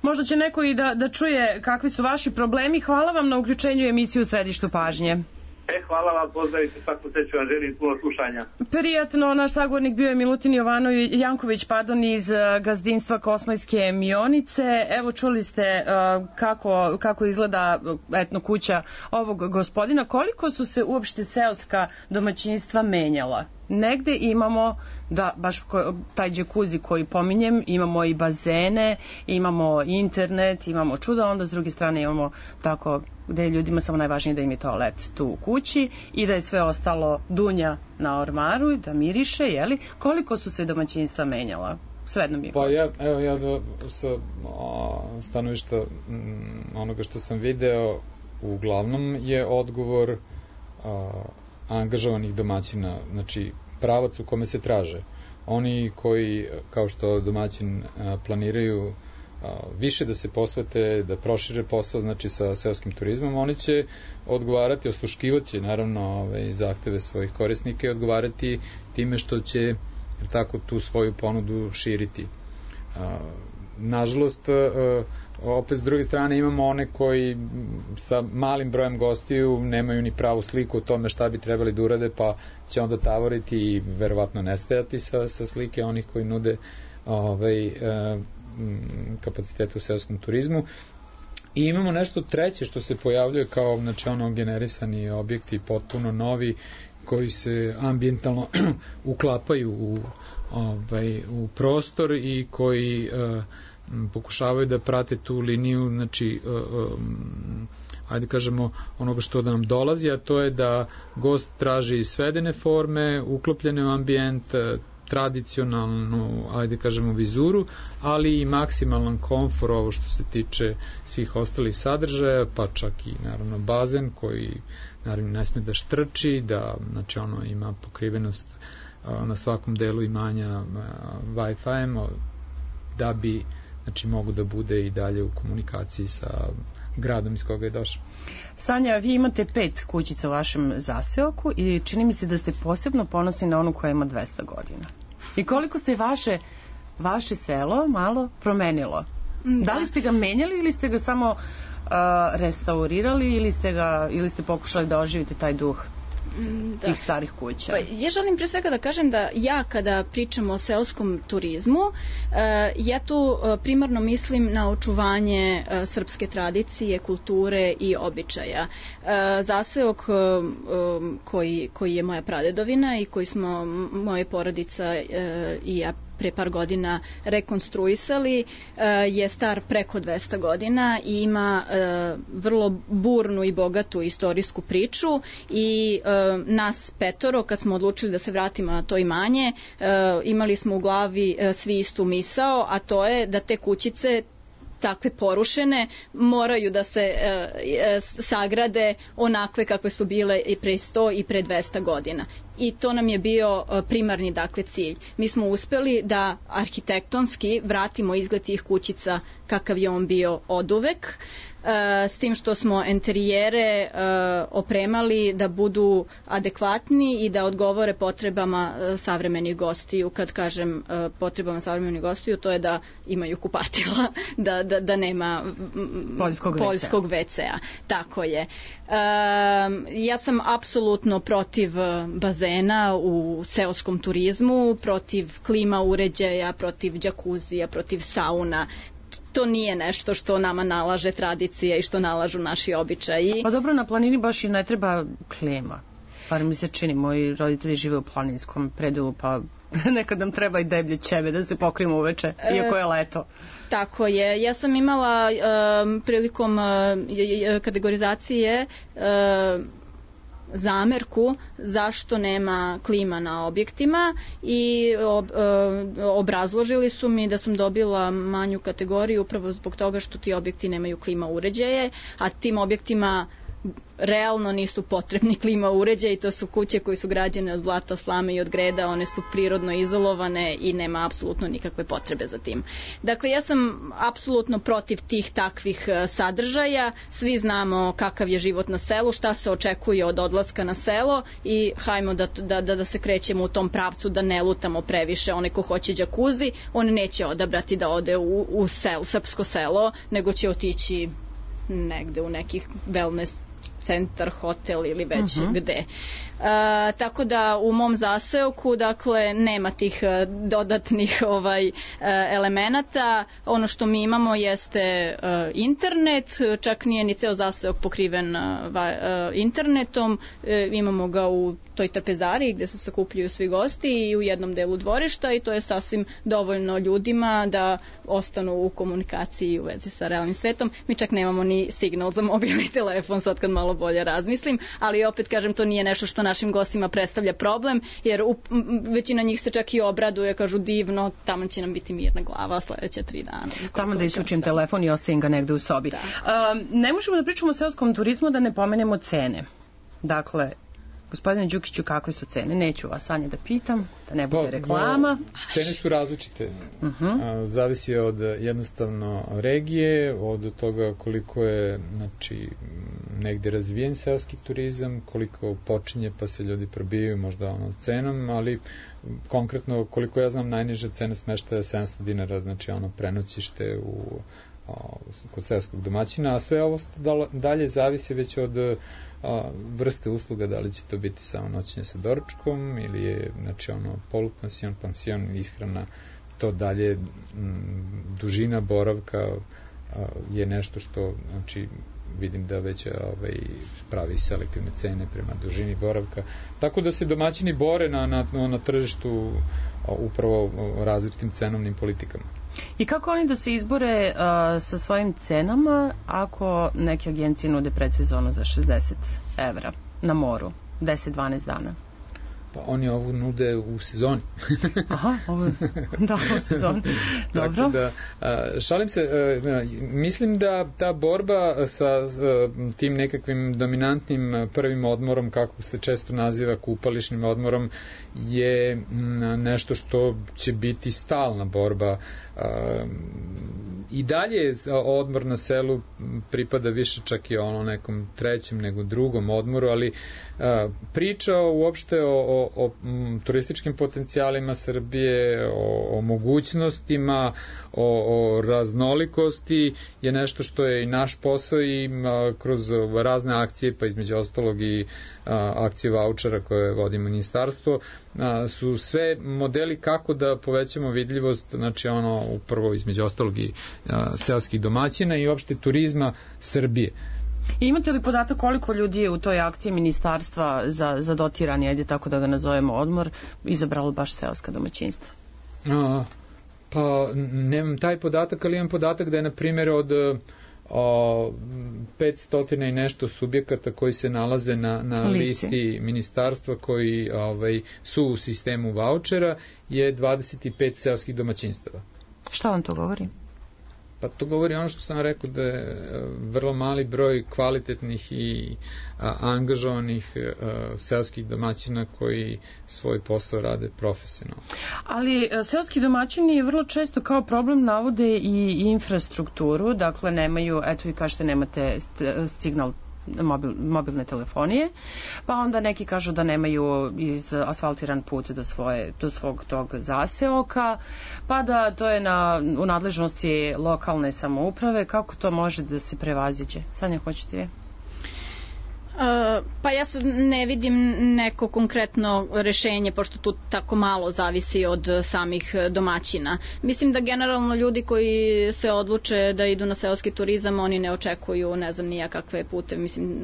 možda će neko i da, da čuje kakvi su vaši problemi. Hvala vam na uključenju emisiju u Središtu pažnje. E, hvala vam, pozdravite, svaku sreću vam želim, puno slušanja. Prijatno, naš sagovornik bio je Milutin Jovanović, Janković, pardon, iz gazdinstva Kosmajske Mionice. Evo, čuli ste uh, kako, kako izgleda etno kuća ovog gospodina. Koliko su se uopšte seoska domaćinstva menjala? Negde imamo, da, baš ko, taj džekuzi koji pominjem, imamo i bazene, imamo internet, imamo čudo, onda s druge strane imamo tako gde je ljudima samo najvažnije da im je toalet tu u kući i da je sve ostalo dunja na ormaru i da miriše, jeli? Koliko su se domaćinstva menjala? Svejedno mi je. Pa ja, evo ja da, sa o, stanovišta m, onoga što sam video, uglavnom je odgovor a, angažovanih domaćina, znači pravac u kome se traže. Oni koji, kao što domaćin a, planiraju a, više da se posvete, da prošire posao, znači sa seoskim turizmom, oni će odgovarati, osluškivaće naravno ove, zahteve svojih korisnika i odgovarati time što će tako tu svoju ponudu širiti. A, nažalost, a, opet s druge strane imamo one koji sa malim brojem gostiju nemaju ni pravu sliku o tome šta bi trebali da urade, pa će onda tavoriti i verovatno nestajati sa, sa slike onih koji nude ovaj, e, kapacitete u seoskom turizmu. I imamo nešto treće što se pojavljuje kao, znači, ono, generisani objekti potpuno novi koji se ambijentalno uklapaju u, ovaj, u prostor i koji e, pokušavaju da prate tu liniju, znači um, ajde kažemo onoga što da nam dolazi, a to je da gost traži svedene forme, uklopljene u ambijent, tradicionalnu, ajde kažemo, vizuru, ali i maksimalan komfor, ovo što se tiče svih ostalih sadržaja, pa čak i naravno bazen koji naravno ne sme da štrči, da znači ono ima pokrivenost a, na svakom delu imanja Wi-Fi-em, da bi znači mogu da bude i dalje u komunikaciji sa gradom iz koga je došao. Sanja, vi imate pet kućica u vašem zaseoku i čini mi se da ste posebno ponosni na onu koja ima dvesta godina. I koliko se vaše, vaše selo malo promenilo Da. Da li ste ga menjali ili ste ga samo uh, restaurirali ili ste, ga, ili ste pokušali da oživite taj duh da. tih starih kuća? Pa, ja želim pre svega da kažem da ja kada pričam o seoskom turizmu, ja tu primarno mislim na očuvanje srpske tradicije, kulture i običaja. Zaseok koji, koji je moja pradedovina i koji smo moja porodica i ja pre par godina rekonstruisali, je star preko dvesta godina i ima vrlo burnu i bogatu istorijsku priču i nas petoro, kad smo odlučili da se vratimo na to imanje, imali smo u glavi svi istu misao, a to je da te kućice takve porušene moraju da se e, sagrade onakve kakve su bile i pre sto i pre dvesta godina. I to nam je bio primarni dakle cilj. Mi smo uspeli da arhitektonski vratimo izgled tih kućica kakav je on bio oduvek, s tim što smo enterijere opremali da budu adekvatni i da odgovore potrebama savremenih gostiju. Kad kažem potrebama savremenih gostiju, to je da imaju kupatila, da, da, da nema poljskog, poljskog ve ce a. Tako je. Ja sam apsolutno protiv bazena u seoskom turizmu, protiv klima uređaja, protiv džakuzija, protiv sauna. To nije nešto što nama nalaže tradicija i što nalažu naši običaji. Pa dobro, na planini baš i ne treba klima. Bar mi se čini, moji roditelji žive u planinskom predelu, pa nekad nam treba i deblje ćebe da se pokrijemo uveče, iako je leto. Tako je. Ja sam imala um, prilikom uh, kategorizacije uh, zamerku zašto nema klima na objektima i ob, e, obrazložili su mi da sam dobila manju kategoriju upravo zbog toga što ti objekti nemaju klima uređaje, a tim objektima realno nisu potrebni klima uređaji, to su kuće koje su građene od blata, slame i od greda, one su prirodno izolovane i nema apsolutno nikakve potrebe za tim. Dakle, ja sam apsolutno protiv tih takvih sadržaja, svi znamo kakav je život na selu, šta se očekuje od odlaska na selo i hajmo da, da, da, da se krećemo u tom pravcu, da ne lutamo previše. Onaj ko hoće džakuzi, on neće odabrati da ode u, u selo, srpsko selo, nego će otići negde u nekih wellness centar, hotel ili već uh-huh. gde. E, tako da u mom zaseoku dakle nema tih dodatnih ovaj elemenata. Ono što mi imamo jeste uh, internet, čak nije ni ceo zaseok pokriven uh, internetom, e, imamo ga u toj trpezariji gde se sakupljaju svi gosti i u jednom delu dvorišta i to je sasvim dovoljno ljudima da ostanu u komunikaciji u vezi sa realnim svetom. Mi čak nemamo ni signal za mobilni telefon, sad kad malo bolje razmislim, ali opet kažem, to nije nešto što našim gostima predstavlja problem, jer u, većina njih se čak i obraduje, kažu divno, tamo će nam biti mirna glava sledeće tri dana. Tamo da isključim telefon i ostavim ga negde u sobi. Da. Uh, ne možemo da pričamo o seoskom turizmu da ne pomenemo cene. Dakle, gospodine Đukiću, kakve su cene? Neću vas, Anja, da pitam, da ne bude reklama. Cene su različite. Uh-huh. Zavisi od jednostavno regije, od toga koliko je znači, negde razvijen seoski turizam, koliko počinje pa se ljudi probijaju možda ono cenom, ali konkretno koliko ja znam najniža cena smeštaja je sedamsto dinara, znači ono prenoćište u kod seoskog domaćina, a sve ovo dalje zavisi već od a, vrste usluga, da li će to biti samo noćenje sa doručkom ili je znači ono polupansion, pansion, ishrana, to dalje m, dužina boravka a, je nešto što znači vidim da već ovaj, pravi selektivne cene prema dužini boravka, tako da se domaćini bore na, na, na tržištu a, upravo različitim cenovnim politikama. I kako oni da se izbore uh, sa svojim cenama ako neke agencije nude predsezonu za šezdeset evra na moru, deset do dvanaest dana? Pa oni ovu nude u sezoni. Aha, ovo, da, u sezoni. Dobro. Tako da, a, šalim se, a, mislim da ta borba sa a, tim nekakvim dominantnim prvim odmorom, kako se često naziva kupališnim odmorom, je m, nešto što će biti stalna borba. A, i dalje odmor na selu pripada više čak i ono nekom trećem nego drugom odmoru, ali a, priča uopšte o, o o, o m, turističkim potencijalima Srbije, o, o mogućnostima, o, o raznolikosti je nešto što je i naš posao i a, kroz razne akcije, pa između ostalog i a, akcije vaučera koje vodi ministarstvo, a, su sve modeli kako da povećamo vidljivost, znači ono upravo između ostalog i a, seoskih domaćina i uopšte turizma Srbije. I imate li podatak koliko ljudi je u toj akciji ministarstva za, za dotirani, ajde tako da ga nazovemo, odmor, izabralo baš seoska domaćinstva? A, pa nemam taj podatak, ali imam podatak da je na primjer od o, petsto i nešto subjekata koji se nalaze na, na listi. listi ministarstva koji ovaj, su u sistemu vaučera je dvadeset pet seoskih domaćinstava. Šta vam to govori? Pa to govori ono što sam rekao, da je vrlo mali broj kvalitetnih i a, angažovanih a, seoskih domaćina koji svoj posao rade profesionalno. Ali seoski domaćini vrlo često kao problem navode i infrastrukturu, dakle nemaju, eto vi kažete nemate signal Mobil, mobilne telefonije, pa onda neki kažu da nemaju iz asfaltiran put do, svoje, do svog tog zaseoka, pa da to je na, u nadležnosti lokalne samouprave. Kako to može da se prevaziđe? Sanja, hoćete vi? Uh, pa ja sad ne vidim neko konkretno rešenje, pošto tu tako malo zavisi od samih domaćina. Mislim da generalno ljudi koji se odluče da idu na seoski turizam, oni ne očekuju, ne znam nija kakve pute, mislim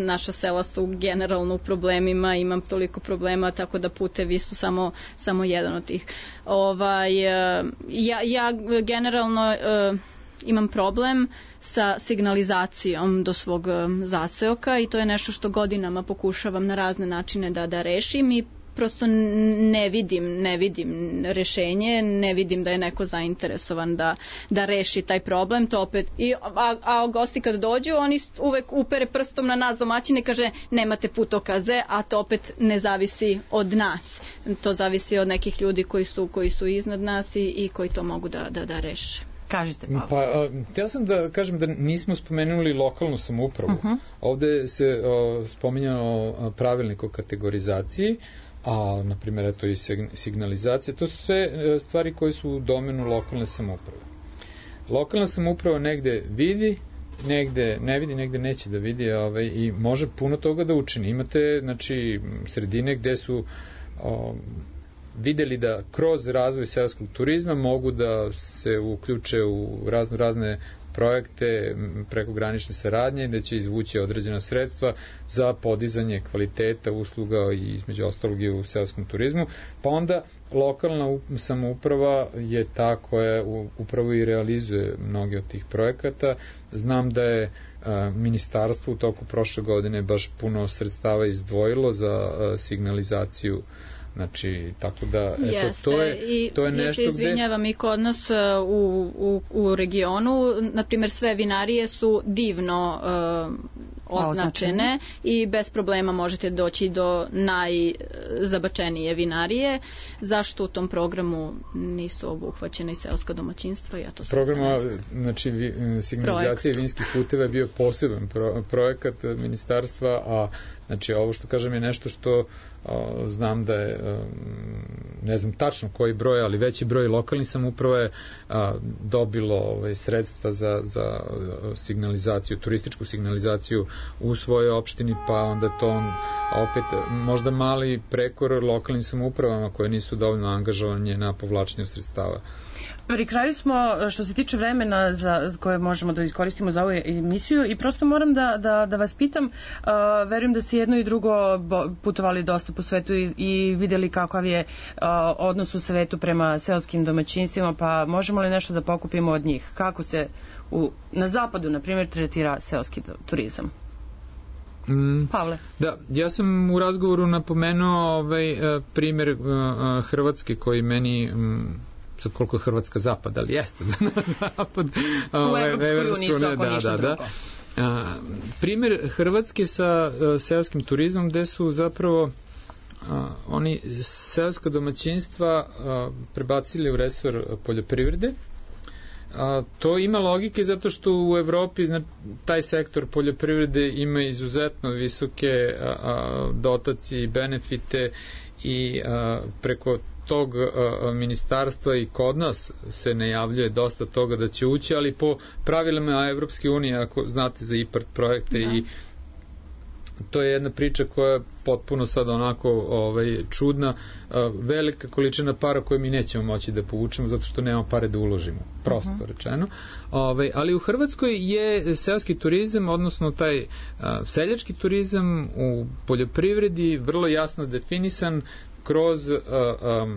naša sela su generalno u problemima, imam toliko problema, tako da putevi su samo, samo jedan od tih. Ovaj, ja, ja generalno uh, imam problem sa signalizacijom do svog zaseoka i to je nešto što godinama pokušavam na razne načine da, da rešim i prosto ne vidim, ne vidim rešenje, ne vidim da je neko zainteresovan da, da reši taj problem, to opet, i, a, a gosti kad dođu, oni uvek upere prstom na nas domaćine i kaže nemate putokaze, a to opet ne zavisi od nas. To zavisi od nekih ljudi koji su, koji su iznad nas i, i koji to mogu da, da, da reše. Kažite, Pavle. Pa, htio sam da kažem da nismo spomenuli lokalnu samoupravu. Uh-huh. Ovde se o, spominjao pravilnik o kategorizaciji, a, na primjer, eto i signalizacija. To su sve stvari koje su u domenu lokalne samouprave. Lokalna samouprava negde vidi, negde ne vidi, negde neće da vidi, ovaj, i može puno toga da učini. Imate, znači, sredine gde su o, videli da kroz razvoj seoskog turizma mogu da se uključe u razno razne projekte prekogranične saradnje, da će izvući određena sredstva za podizanje kvaliteta usluga i između ostalog i u seoskom turizmu, pa onda lokalna samouprava je ta koja upravo i realizuje mnoge od tih projekata. Znam da je a, ministarstvo u toku prošle godine baš puno sredstava izdvojilo za a, signalizaciju. Znači, tako da, eto, Jeste, to je, to je nešto gde... Ja se izvinjavam, i kod nas u, u, u regionu, na primjer, sve vinarije su divno uh, označene i bez problema možete doći do najzabačenije vinarije. Zašto u tom programu nisu obuhvaćene i seoska domaćinstva? Ja to Programa, znači, vi, signalizacije vinskih puteva je bio poseban pro, projekat ministarstva, a znači, ovo što kažem je nešto što o, znam da je, o, ne znam tačno koji broj, ali veći broj lokalnih samouprava je a, dobilo ove, sredstva za, za signalizaciju, turističku signalizaciju u svojoj opštini, pa onda to on, opet možda mali prekor lokalnim samoupravama koje nisu dovoljno angažovanje na povlačenju sredstava. Pri kraju smo, što se tiče vremena za koje možemo da iskoristimo za ovu emisiju, i prosto moram da, da, da vas pitam, uh, verujem da ste jedno i drugo putovali dosta po svetu i, i videli kakav je uh, odnos u svetu prema seoskim domaćinstvima, pa možemo li nešto da pokupimo od njih? Kako se u, na zapadu, na primjer, tretira seoski turizam? Mm, Pavle. Da, ja sam u razgovoru napomenuo ovaj, primjer uh, Hrvatske koji meni... Um, sad koliko je Hrvatska zapad, ali jeste za nas zapad. U Evropskoj uniji su ako ništa drugo. A, primjer Hrvatske sa a, seoskim turizmom, gde su zapravo a, oni seoska domaćinstva a, prebacili u resor poljoprivrede A, to ima logike zato što u Evropi zna, taj sektor poljoprivrede ima izuzetno visoke a, a, dotacije i benefite i a, preko tog a, ministarstva i kod nas se najavljuje dosta toga da će ući, ali po pravilima Evropske unije, ako znate za IPARD projekte da. I to je jedna priča koja je potpuno sad onako ovaj, čudna, velika količina para koje mi nećemo moći da povučemo zato što nema pare da uložimo, prosto uh-huh. rečeno. Ovaj, ali u Hrvatskoj je seoski turizam, odnosno taj a, seljački turizam u poljoprivredi vrlo jasno definisan kroz a, a,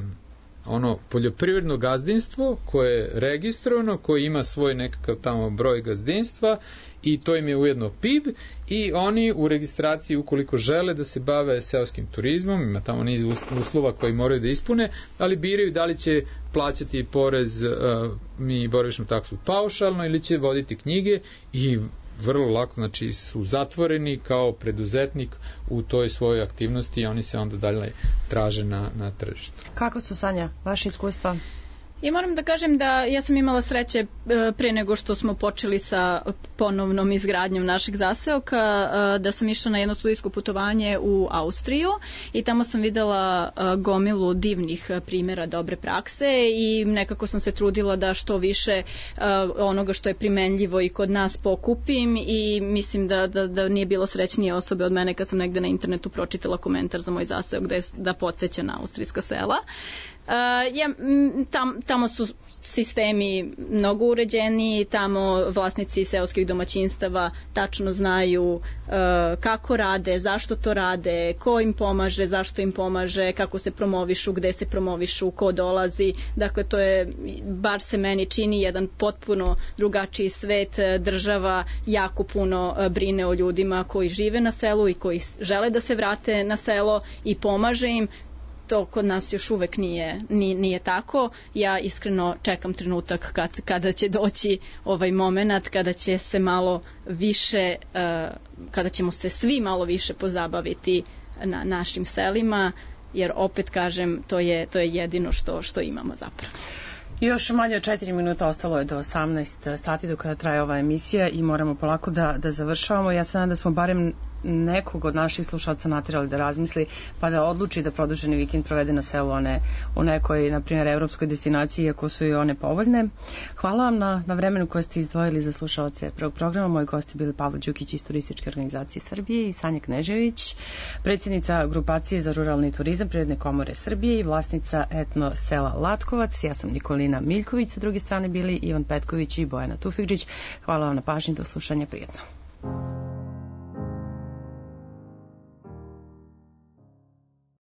ono poljoprivredno gazdinstvo koje je registrovano, koje ima svoj nekakav tamo broj gazdinstva i to im je ujedno P I B i oni u registraciji ukoliko žele da se bave seoskim turizmom, ima tamo niz uslova koji moraju da ispune, ali biraju da li će plaćati porez uh, mi boravišnu taksu paušalno ili će voditi knjige i vrlo lako, znači su zatvoreni kao preduzetnik u toj svojoj aktivnosti i oni se onda dalje traže na, na tržištu. Kako su, Sanja, vaše iskustva? I moram da kažem da ja sam imala sreće pre nego što smo počeli sa ponovnom izgradnjom našeg zaseoka, da sam išla na jedno studijsko putovanje u Austriju i tamo sam videla gomilu divnih primjera dobre prakse i nekako sam se trudila da što više onoga što je primenljivo i kod nas pokupim i mislim da, da, da nije bilo srećnije osobe od mene kad sam negde na internetu pročitala komentar za moj zaseok da, je, da podsjeća na austrijska sela. Uh, ja, tam, tamo su sistemi mnogo uređeni, tamo vlasnici seoskih domaćinstava tačno znaju uh, kako rade, zašto to rade, ko im pomaže, zašto im pomaže, kako se promovišu, gde se promovišu, ko dolazi. Dakle, to je, bar se meni čini, jedan potpuno drugačiji svet. Država jako puno brine o ljudima koji žive na selu i koji žele da se vrate na selo i pomaže im. To kod nas još uvek nije, nije, nije tako. Ja iskreno čekam trenutak kad, kada će doći ovaj moment, kada će se malo više, uh, kada ćemo se svi malo više pozabaviti na našim selima, jer opet kažem, to je, to je jedino što, što imamo zapravo. Još manje od četiri minuta ostalo je do osamnaest sati do kada traje ova emisija i moramo polako da, da završavamo. Ja se nadam da smo barem nekog od naših slušalaca natirali da razmisli pa da odluči da produženi vikend provede na selu, one u nekoj, na primjer, evropskoj destinaciji, iako su i one povoljne. Hvala vam na, na vremenu koje ste izdvojili za slušalace prvog programa. Moji gosti bili Pavle Đukić iz Turističke organizacije Srbije i Sanja Knežević, predsjednica grupacije za ruralni turizam Privredne komore Srbije i vlasnica etno sela Latkovac. Ja sam Nikolina Miljković, sa druge strane bili Ivan Petković i Bojana Tufigđić. Hvala vam na pažnji, do slušanja, prijetno.